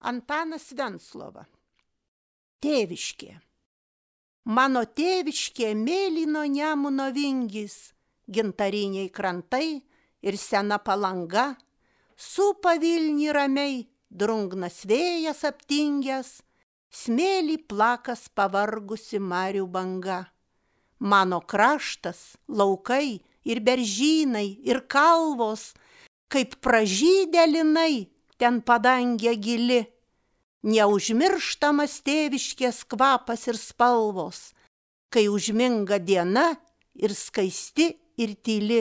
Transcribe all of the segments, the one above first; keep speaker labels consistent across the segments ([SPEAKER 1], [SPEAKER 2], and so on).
[SPEAKER 1] Antanas Venclova. Tėviškė. Mano tėviškė mėlyno Nemuno vingis, gintariniai krantai ir sena Palanga, supa Vilnį ramiai, drungnas vėjas aptingęs, smėlį plakas pavargusi marių banga. Mano kraštas, laukai ir beržynai ir kalvos, kaip pražydę linai, ten padangė gili. Neužmirštamas tėviškės kvapas ir spalvos, kai užminga diena ir skaisti ir tyli.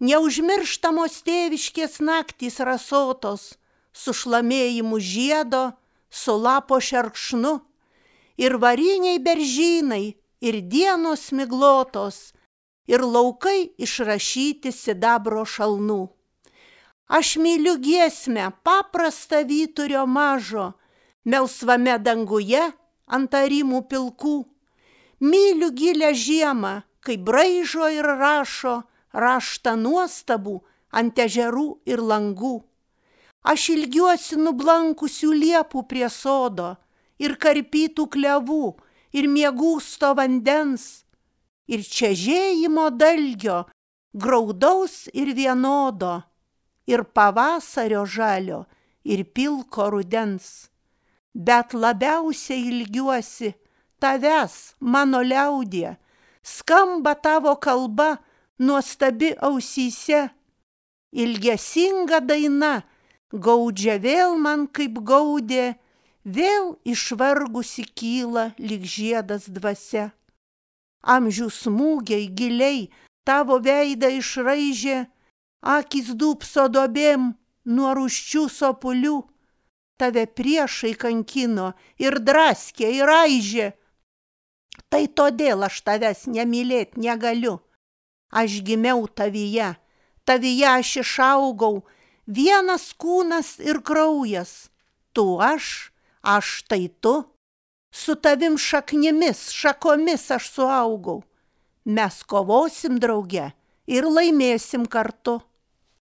[SPEAKER 1] Neužmirštamos tėviškės naktys rasotos, su šlamėjimu žiedo, su lapo šerkšnu, ir variniai beržynai, ir dienos miglotos, ir laukai išrašyti sidabro šalnų. Aš myliu giesmę paprastą vyturio mažo, melsvame danguje ant arimų pilkų. Myliu gilę žiemą, kai braižo ir rašo raštą nuostabų ant ežerų ir langų. Aš ilgiuosi nublankusių liepų prie sodo, ir karpytų klevų, ir miegūsto vandens, ir čežėjimo dalgio, graudaus ir vienodo, ir pavasario žalio, ir pilko rudens. Bet labiausiai ilgiuosi tavęs, mano liaudie, skamba tavo kalba nuostabi ausyse. Ilgesinga daina gaudžia vėl man kaip gaudė, vėl išvargusi kyla lyg žiedas dvasia. Amžių smūgiai giliai tavo veidą išraižė, akys dūpso duobėm nuo rūsčių sopulių, tave priešai kankino ir draskė ir raižė. Tai todėl aš tavęs nemylėt negaliu. Aš gimiau tavyje aš išaugau, vienas kūnas ir kraujas. Tu aš tai tu, su tavim šaknimis, šakomis aš suaugau. Mes kovosim drauge ir laimėsim kartu.